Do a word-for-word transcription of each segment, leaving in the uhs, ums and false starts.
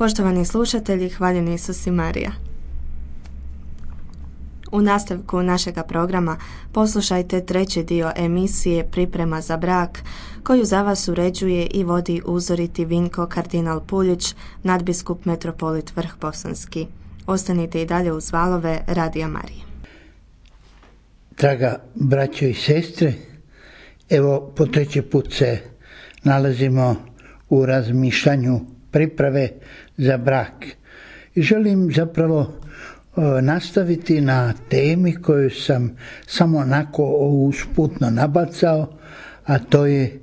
Poštovani slušatelji, hvaljeni Isus i Marija. U nastavku našega programa poslušajte treći dio emisije Priprema za brak, koju za vas uređuje i vodi uzoriti Vinko kardinal Puljić, nadbiskup metropolit Vrh-Bosanski. Ostanite i dalje uz valove Radija Marije. Draga braćo i sestre, evo po treći put se nalazimo u razmišljanju priprave za brak. I želim zapravo nastaviti na temi koju sam samo onako usputno nabacao, a to je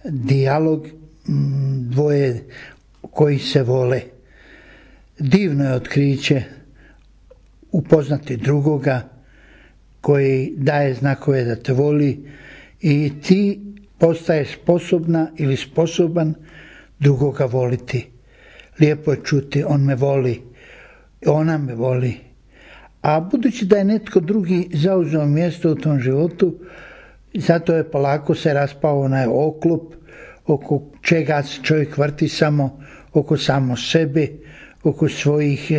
dijalog dvoje koji se vole. Divno je otkriće upoznati drugoga koji daje znakove da te voli i ti postaješ sposobna ili sposoban drugoga voliti. Lijepo je čuti, on me voli, ona me voli. A budući da je netko drugi zauzeo mjesto u tom životu, zato je polako se raspao onaj oklop oko čega se čovjek vrti samo oko samo sebe, oko svojih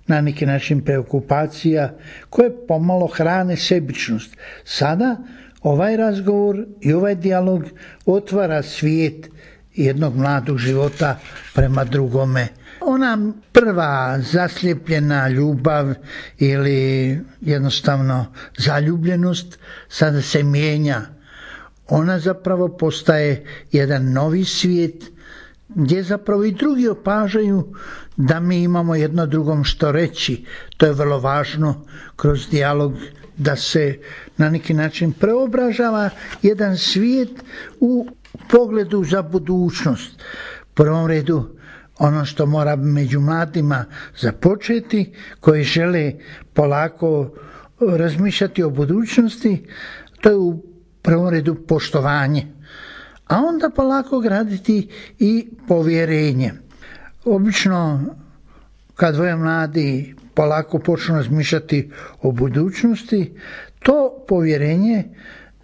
na neki način preokupacija koje pomalo hrane sebičnost. Sada ovaj razgovor i ovaj dijalog otvara svijet jednog mladog života prema drugome. Ona prva zaslijepljena ljubav ili jednostavno zaljubljenost sada se mijenja. Ona zapravo postaje jedan novi svijet gdje zapravo i drugi opažaju da mi imamo jedno drugom što reći. To je vrlo važno kroz dijalog da se na neki način preobražava jedan svijet u pogledu za budućnost. U prvom redu ono što mora među mladima započeti, koji žele polako razmišljati o budućnosti, to je u prvom redu poštovanje, a onda polako graditi i povjerenje. Obično kad dvoje mladi polako počnu razmišljati o budućnosti, to povjerenje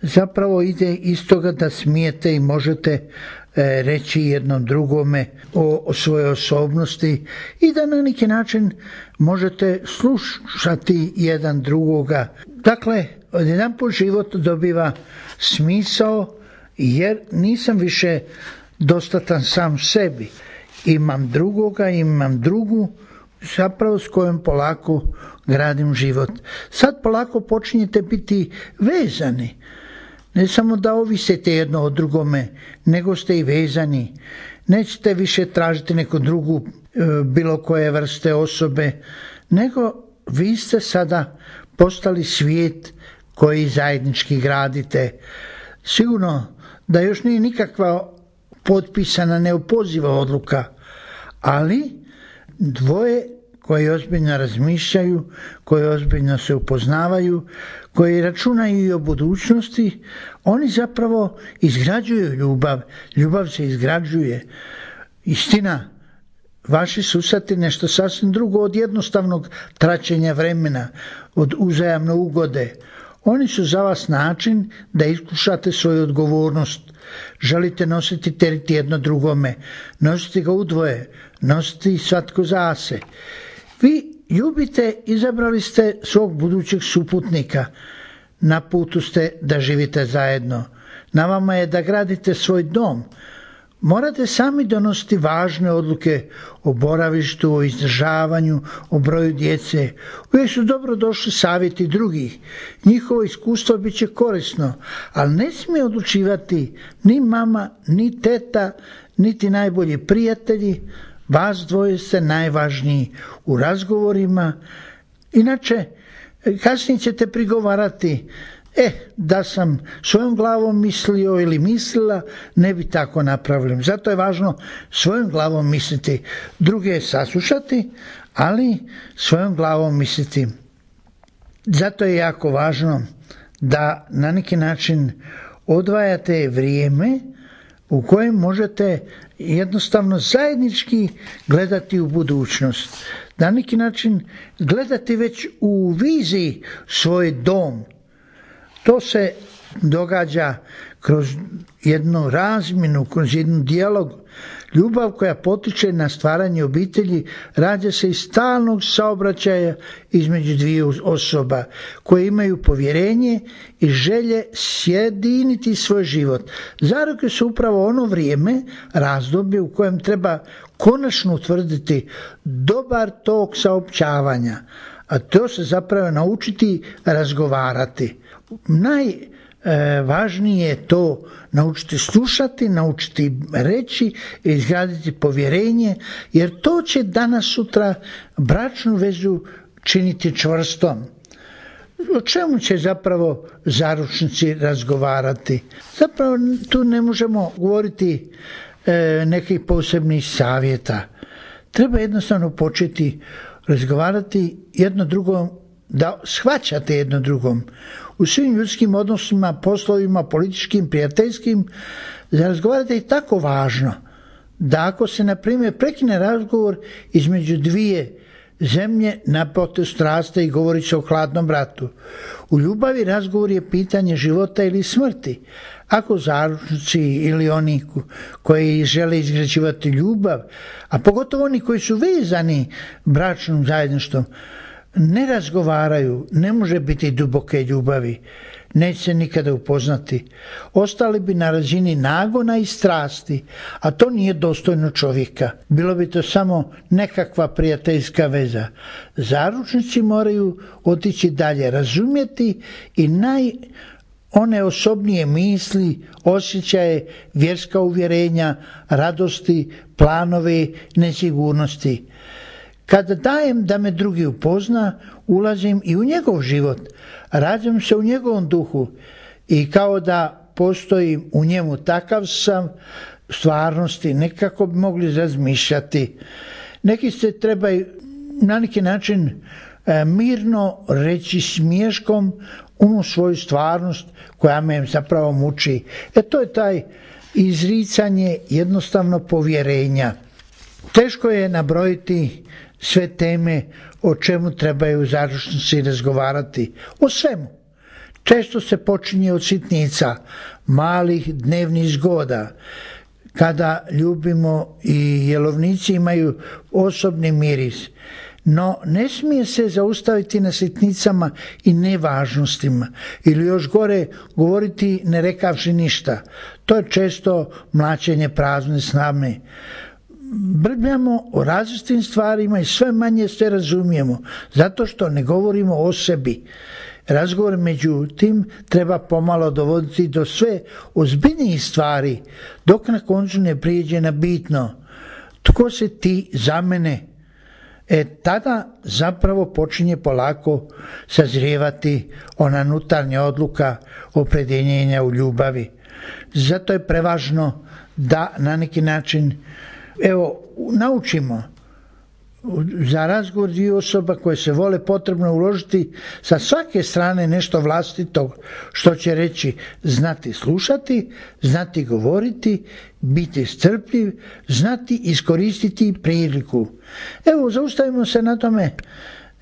zapravo ide iz toga da smijete i možete reći jednom drugome o, o svojoj osobnosti i da na neki način možete slušati jedan drugoga. Dakle, odjedanput život dobiva smisao jer nisam više dostatan sam sebi. Imam drugoga, imam drugu, zapravo s kojom polako gradim život. Sad polako počinjete biti vezani. Ne samo da ovisite jedno o drugome, nego ste i vezani. Nećete više tražiti neku drugu bilo koje vrste osobe, nego vi ste sada postali svijet koji zajednički gradite. Sigurno da još nije nikakva potpisana neopoziva odluka, ali dvoje koji ozbiljno razmišljaju, koji ozbiljno se upoznavaju, koji računaju i o budućnosti, oni zapravo izgrađuju ljubav. Ljubav se izgrađuje. Istina, vaši susreti nešto sasvim drugo od jednostavnog traćenja vremena, od uzajamne ugode. Oni su za vas način da iskušate svoju odgovornost. Želite nositi teret jedno drugome, nosite ga udvoje, nosite svatko za se. Vi ljubite, izabrali ste svog budućeg suputnika, na putu ste da živite zajedno, na vama je da gradite svoj dom. Morate sami donositi važne odluke o boravištu, o izdržavanju, o broju djece. Uvijek su dobro došli savjeti drugih. Njihovo iskustvo bit će korisno, ali ne smije odlučivati ni mama, ni teta, niti najbolji prijatelji. Vas dvoje ste najvažniji u razgovorima. Inače, kasnije ćete prigovarati, e, da sam svojom glavom mislio ili mislila, ne bi tako napravili. Zato je važno svojom glavom misliti, druge saslušati, ali svojom glavom misliti. Zato je jako važno da na neki način odvajate vrijeme u kojem možete jednostavno zajednički gledati u budućnost. Na neki način gledati već u viziji svoj dom. To se događa kroz jednu razmjenu, kroz jednu dijalog. Ljubav koja potiče na stvaranje obitelji rađa se iz stalnog saobraćaja između dviju osoba koje imaju povjerenje i želje sjediniti svoj život. Zaroke su upravo ono vrijeme, razdoblje u kojem treba konačno utvrditi dobar tok saopćavanja, a to se zapravo naučiti razgovarati. Najvažnije je to naučiti slušati, naučiti reći, izgraditi povjerenje, jer to će danas sutra bračnu vezu činiti čvrstom. O čemu će zapravo zaručnici razgovarati? Zapravo tu ne možemo govoriti e, nekih posebnih savjeta. Treba jednostavno početi razgovarati jedno drugom, da shvaćate jedno drugom. U svim ljudskim odnosima, poslovima, političkim, prijateljskim, za razgovarati je tako važno da ako se, na primjer, prekine razgovor između dvije zemlje na potezu strasti i govori se o hladnom ratu. U ljubavi razgovor je pitanje života ili smrti. Ako zaručnici ili oni koji žele izgrađivati ljubav, a pogotovo oni koji su vezani bračnom zajedništvom, ne razgovaraju, ne može biti duboke ljubavi, neće se nikada upoznati. Ostali bi na razini nagona i strasti, a to nije dostojno čovjeka. Bilo bi to samo nekakva prijateljska veza. Zaručnici moraju otići dalje, razumjeti i naj one osobnije misli, osjećaje, vjerska uvjerenja, radosti, planove, nesigurnosti. Kada dajem da me drugi upozna, ulazim i u njegov život, rađam se u njegovom duhu i kao da postojim u njemu, takav sam stvarnosti, nekako bi mogli razmišljati. Neki se trebaju na neki način e, mirno reći smiješkom onu svoju stvarnost koja me zapravo muči. E to je taj izricanje jednostavno povjerenja. Teško je nabrojiti sve teme o čemu trebaju zaručnici razgovarati. O svemu. Često se počinje od sitnica, malih dnevnih zgoda, kada ljubimo i jelovnici imaju osobni miris. No ne smije se zaustaviti na sitnicama i nevažnostima ili još gore govoriti ne rekavši ništa. To je često mlaćenje prazne slame. Brbljamo o različitim stvarima i sve manje sve razumijemo, zato što ne govorimo o sebi. Razgovor međutim treba pomalo dovoditi do sve ozbiljnijih stvari, dok na koncu ne prijeđe na bitno. Tko si ti za mene? E tada zapravo počinje polako sazrijevati ona unutarnja odluka opredjeljenja u ljubavi. Zato je prevažno da na neki način evo naučimo za razgovor dvije osoba koje se vole potrebno uložiti sa svake strane nešto vlastito što će reći, znati slušati, znati govoriti, biti strpljiv, znati iskoristiti priliku. Evo, zaustavimo se na tome,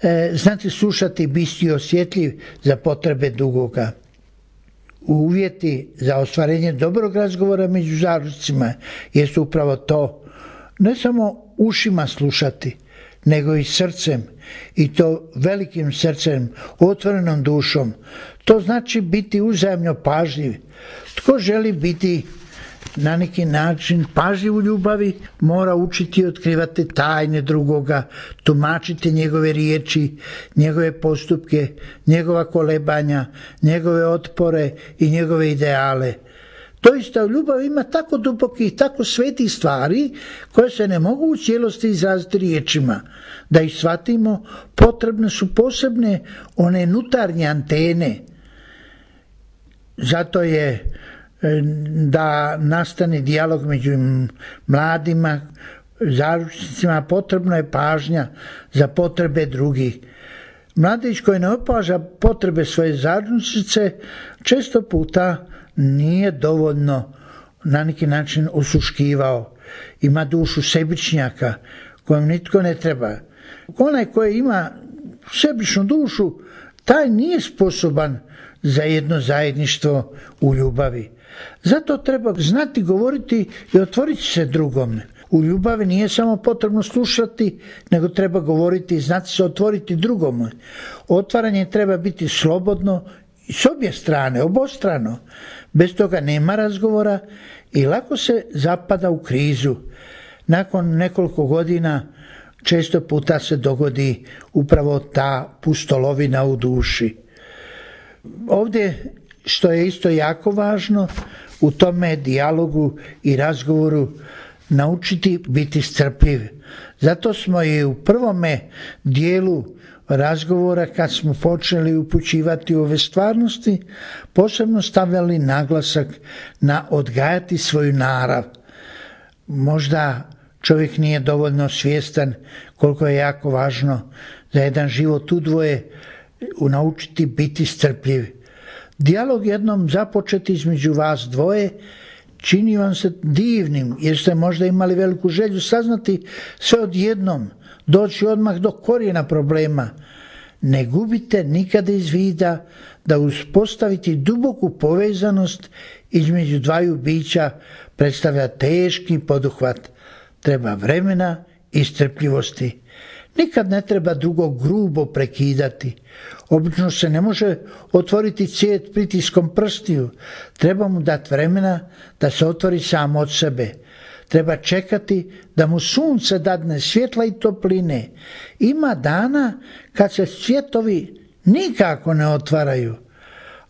e, znati slušati, biti osjetljiv za potrebe drugoga. Uvjeti za ostvarenje dobrog razgovora među zaručnicima jesu upravo to, ne samo ušima slušati, nego i srcem, i to velikim srcem, otvorenom dušom. To znači biti uzajamno pažljiv. Tko želi biti na neki način pažljiv u ljubavi, mora učiti otkrivati tajne drugoga, tumačiti njegove riječi, njegove postupke, njegova kolebanja, njegove otpore i njegove ideale. Doista, ljubav ima tako dubokih, tako svetih stvari koje se ne mogu u cijelosti izraziti riječima. Da ih shvatimo, potrebne su posebne one unutarnje antene. Zato je da nastane dijalog među mladima, zaručnicima, potrebna je pažnja za potrebe drugih. Mladić koji ne opaža potrebe svoje zaručnice često puta nije dovoljno na neki način osuškivao. Ima dušu sebičnjaka kojem nitko ne treba. Onaj koji ima sebičnu dušu, taj nije sposoban za jedno zajedništvo u ljubavi. Zato treba znati govoriti i otvoriti se drugome. U ljubavi nije samo potrebno slušati, nego treba govoriti i znati se otvoriti drugome. Otvaranje treba biti slobodno s obje strane, obostrano. Bez toga nema razgovora i lako se zapada u krizu. Nakon nekoliko godina često puta se dogodi upravo ta pustolovina u duši. Ovdje, što je isto jako važno, u tome dijalogu i razgovoru naučiti biti strpljiv. Zato smo i u prvome dijelu razgovora, kad smo počeli upućivati ove stvarnosti, posebno stavljali naglasak na odgajati svoju narav. Možda čovjek nije dovoljno svjestan koliko je jako važno za jedan život u dvoje naučiti biti strpljiv. Dijalog jednom započet između vas dvoje čini vam se divnim, jer ste možda imali veliku želju saznati sve odjednom, doći odmah do korijena problema. Ne gubite nikada iz vida da uspostaviti duboku povezanost između dvaju bića predstavlja teški poduhvat. Treba vremena i strpljivosti. Nikad ne treba drugog grubo prekidati. Obično se ne može otvoriti cijet pritiskom prstiju. Treba mu dati vremena da se otvori sam od sebe. Treba čekati da mu sunce dadne svjetla i topline. Ima dana kad se cvjetovi nikako ne otvaraju.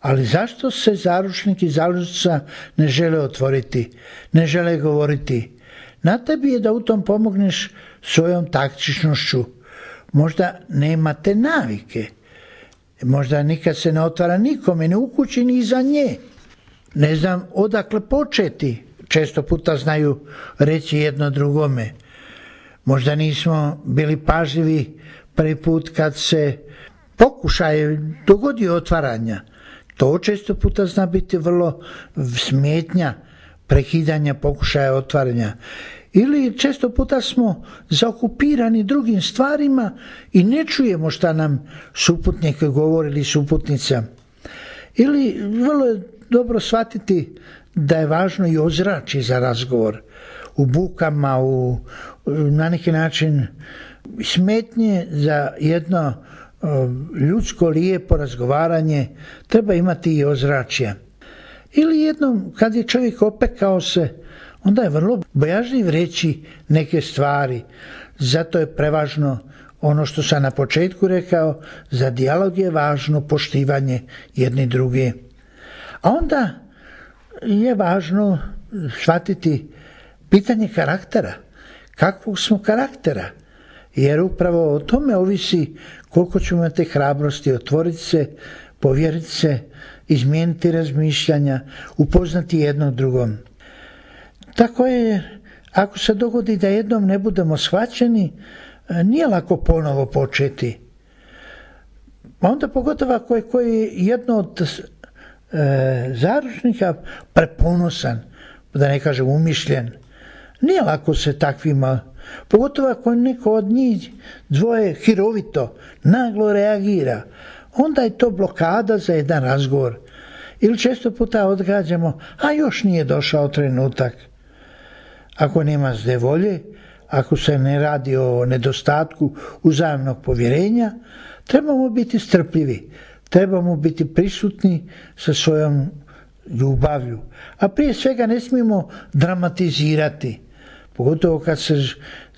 Ali zašto se zaručnik i zaručnica ne žele otvoriti, ne žele govoriti? Na tebi je da u tom pomogneš svojom taktičnošću. Možda nemate navike. Možda nikad se ne otvara nikome, ni u kući, ni iza nje. Ne znam odakle početi. Često puta znaju reći jedno drugome. Možda nismo bili pažljivi prvi put kad se pokušaj dogodi otvaranja. To često puta zna biti vrlo smetnja prekidanja pokušaja otvaranja. Ili često puta smo zaokupirani drugim stvarima i ne čujemo šta nam suputnik govori ili suputnica. Ili vrlo je dobro shvatiti da je važno i ozračje za razgovor. U bukama, u, na neki način smetnje za jedno ljudsko lijepo razgovaranje treba imati i ozračje. Ili jednom kad je čovjek opekao se, onda je vrlo bojažljiv reći neke stvari. Zato je prevažno ono što sam na početku rekao, za dijalog je važno poštivanje jedni druge. A onda je važno shvatiti pitanje karaktera. Kakvog smo karaktera? Jer upravo o tome ovisi koliko ćemo imati hrabrosti otvoriti se, povjeriti se, izmijeniti razmišljanja, upoznati jednog drugom. Tako je, ako se dogodi da jednom ne budemo shvaćeni, nije lako ponovo početi. Onda pogotovo ako je koji jedno od e, zaručnika preponosan, da ne kažem umišljen, nije lako se takvima, pogotovo ako je neko od njih dvoje hirovito, naglo reagira, onda je to blokada za jedan razgovor. Ili često puta odgađamo, a još nije došao trenutak. Ako nema zle volje, ako se ne radi o nedostatku uzajamnog povjerenja, trebamo biti strpljivi, trebamo biti prisutni sa svojom ljubavlju. A prije svega ne smijemo dramatizirati, pogotovo kad se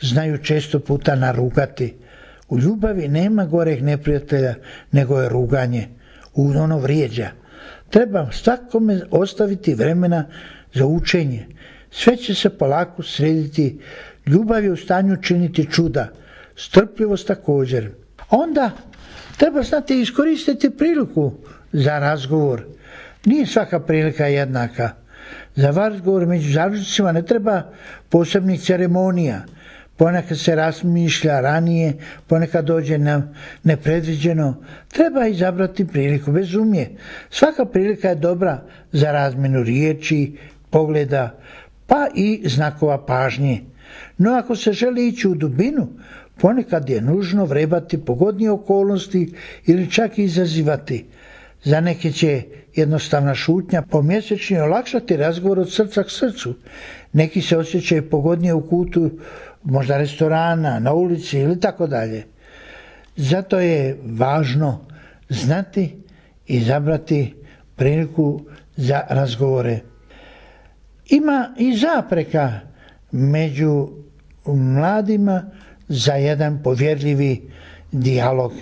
znaju često puta narugati. U ljubavi nema goreg neprijatelja nego je ruganje, ono vrijeđa. Treba svakome ostaviti vremena za učenje. Sve će se polako srediti, ljubav je u stanju činiti čuda, strpljivost također. Onda treba znati iskoristiti priliku za razgovor. Nije svaka prilika jednaka. Za razgovor među zaručnicima ne treba posebnih ceremonija. Ponekad se razmišlja ranije, ponekad dođe na nepredviđeno. Treba izabrati priliku, bez umje. Svaka prilika je dobra za razmjenu riječi, pogleda, pa i znakova pažnje. No ako se želi ići u dubinu, ponekad je nužno vrebati pogodnije okolnosti ili čak izazivati. Za neke će jednostavna šutnja pomjesečni olakšati razgovor od srca k srcu. Neki se osjećaju pogodnije u kutu, možda restorana, na ulici ili tako dalje. Zato je važno znati i izabrati priliku za razgovore. Ima i zapreka među mladima za jedan povjerljivi dijalog.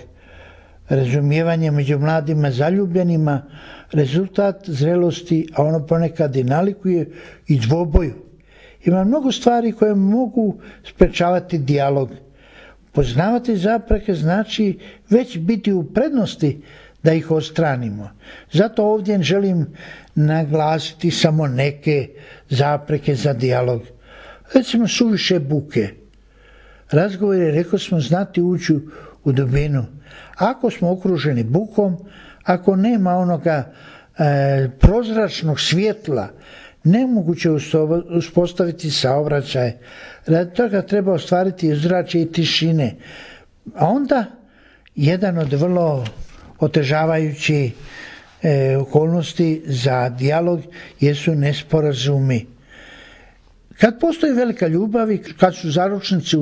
Razumijevanje među mladima zaljubljenima rezultat zrelosti, a ono ponekad i nalikuje i dvoboju. Ima mnogo stvari koje mogu sprečavati dijalog. Poznavati zapreke znači već biti u prednosti da ih odstranimo. Zato ovdje želim naglasiti samo neke zapreke za dijalog. Recimo suviše buke. Razgovor je, rekao smo, znati ući u dubinu. Ako smo okruženi bukom, ako nema onoga e, prozračnog svjetla, nemoguće uspostaviti saobraćaj. Radi toga treba ostvariti ozračje i tišine. A onda jedan od vrlo otežavajućih e, okolnosti za dijalog jesu nesporazumi. Kad postoji velika ljubav i kad su zaručnici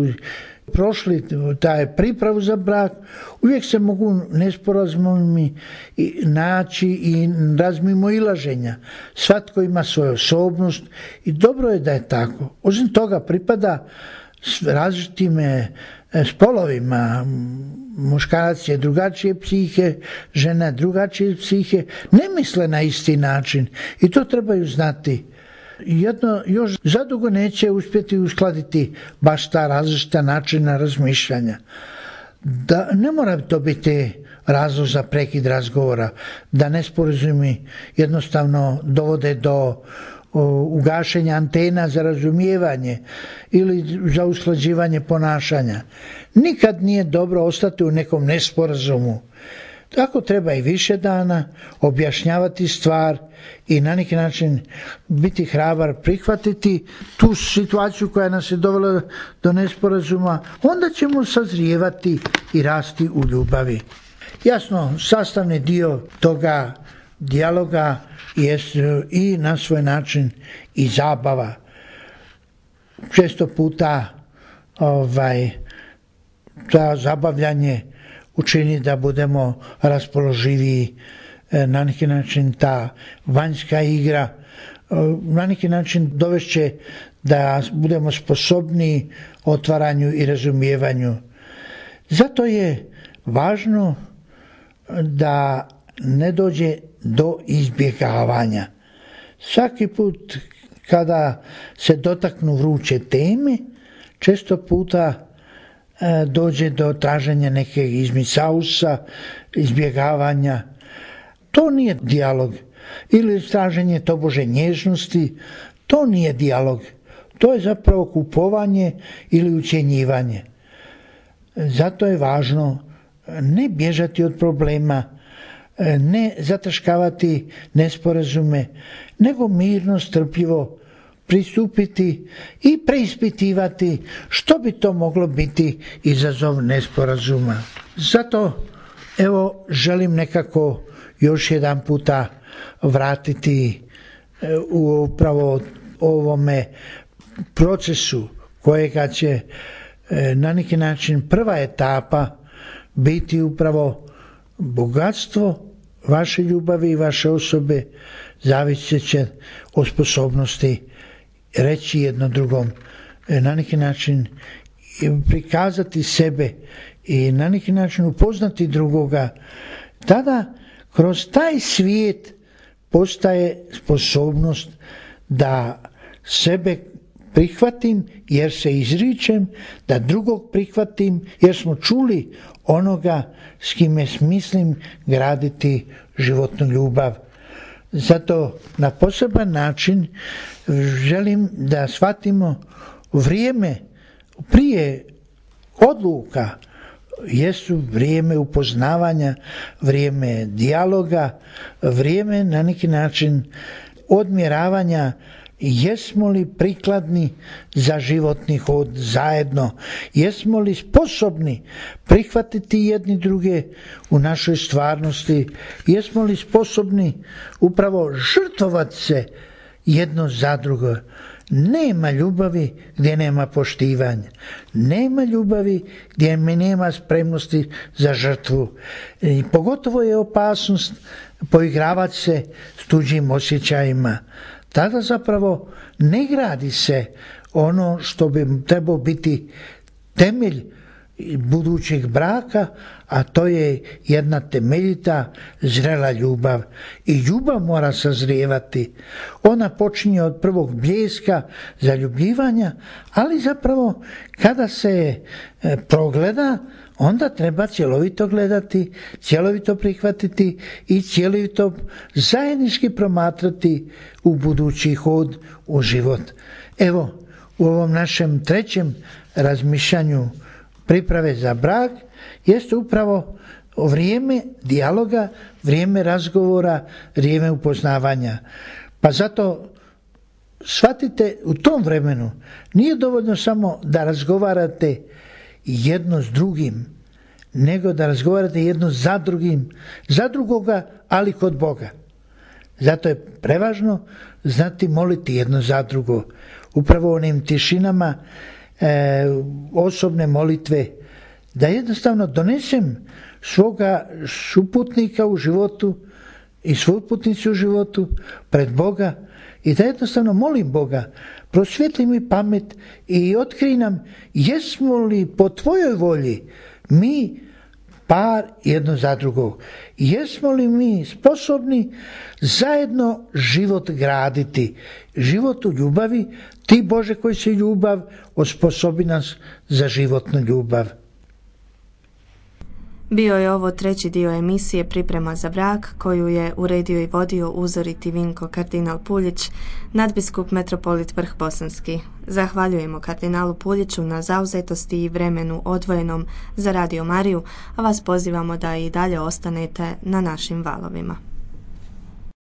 prošli taj pripravu za brak, uvijek se mogu nesporazumi naći i razmimoilaženja. Svatko ima svoju osobnost i dobro je da je tako. Osim toga pripada različitim spolovima. Muškarac je drugačije psihe, žena drugačije psihe, ne misle na isti način i to trebaju znati. Jedno još zadugo neće uspjeti uskladiti baš ta različita načina razmišljanja. Da ne mora to biti razlog za prekid razgovora, da nesporazumi jednostavno dovode do ugašenja antena za razumijevanje ili za usklađivanje ponašanja. Nikad nije dobro ostati u nekom nesporazumu. Tako treba i više dana objašnjavati stvar i na neki način biti hrabar, prihvatiti tu situaciju koja nas je dovela do nesporazuma, onda ćemo sazrijevati i rasti u ljubavi. Jasno, sastavni dio toga dijaloga jest i na svoj način i zabava. Često puta ovaj, ta zabavljanje učini da budemo raspoloživiji, na neki način ta vanjska igra, na neki način dovešće da budemo sposobni otvaranju i razumijevanju. Zato je važno da ne dođe do izbjegavanja. Svaki put kada se dotaknu vruće teme, često puta dođe do traženja neke izmisausa, izbjegavanja. To nije dijalog. Ili traženje tobože nježnosti, to nije dijalog. To je zapravo kupovanje ili ucjenjivanje. Zato je važno ne bježati od problema, ne zataškavati nesporazume, nego mirno, strpljivo pristupiti i preispitivati što bi to moglo biti izazov nesporazuma. Zato evo želim nekako još jedan puta vratiti u upravo ovome procesu kojega će na neki način prva etapa biti upravo bogatstvo vaše ljubavi i vaše osobe, zavisit će od sposobnosti reći jedno drugom, na neki način prikazati sebe i na neki način upoznati drugoga. Tada kroz taj svijet postaje sposobnost da sebe prihvatim jer se izričem, da drugog prihvatim jer smo čuli onoga s kime smislim graditi životnu ljubav. Zato na poseban način želim da shvatimo vrijeme prije odluka jesu vrijeme upoznavanja, vrijeme dijaloga, vrijeme na neki način odmjeravanja jesmo li prikladni za životni hod zajedno, jesmo li sposobni prihvatiti jedni druge u našoj stvarnosti, jesmo li sposobni upravo žrtvovati se jedno za drugo. Nema ljubavi gdje nema poštivanja. Nema ljubavi gdje mi nema spremnosti za žrtvu. I pogotovo je opasnost poigravati se s tuđim osjećajima. Tada zapravo ne gradi se ono što bi trebao biti temelj budućeg braka, a to je jedna temeljita, zrela ljubav. I ljubav mora sazrijevati. Ona počinje od prvog bljeska zaljubljivanja, ali zapravo kada se progleda, onda treba cjelovito gledati, cjelovito prihvatiti i cjelovito zajednički promatrati u budući hod u život. Evo, u ovom našem trećem razmišljanju priprave za brak jeste upravo vrijeme dijaloga, vrijeme razgovora, vrijeme upoznavanja. Pa zato shvatite, u tom vremenu nije dovoljno samo da razgovarate jedno s drugim, nego da razgovarate jedno za drugim, za drugoga, ali kod Boga. Zato je prevažno znati moliti jedno za drugo. Upravo onim tišinama e, osobne molitve, da jednostavno donesem svoga suputnika u životu i svoju putnicu u životu pred Boga i da jednostavno molim Boga, prosvijetli mi pamet i otkrij nam jesmo li po tvojoj volji mi par jedno za drugog. Jesmo li mi sposobni zajedno život graditi, život u ljubavi, ti Bože koji si ljubav, osposobi nas za životnu ljubav. Bio je ovo treći dio emisije Priprema za brak, koju je uredio i vodio uzoriti Vinko kardinal Puljić, nadbiskup metropolit Vrh Bosanski. Zahvaljujemo kardinalu Puljiću na zauzetosti i vremenu odvojenom za Radio Mariju, a vas pozivamo da i dalje ostanete na našim valovima.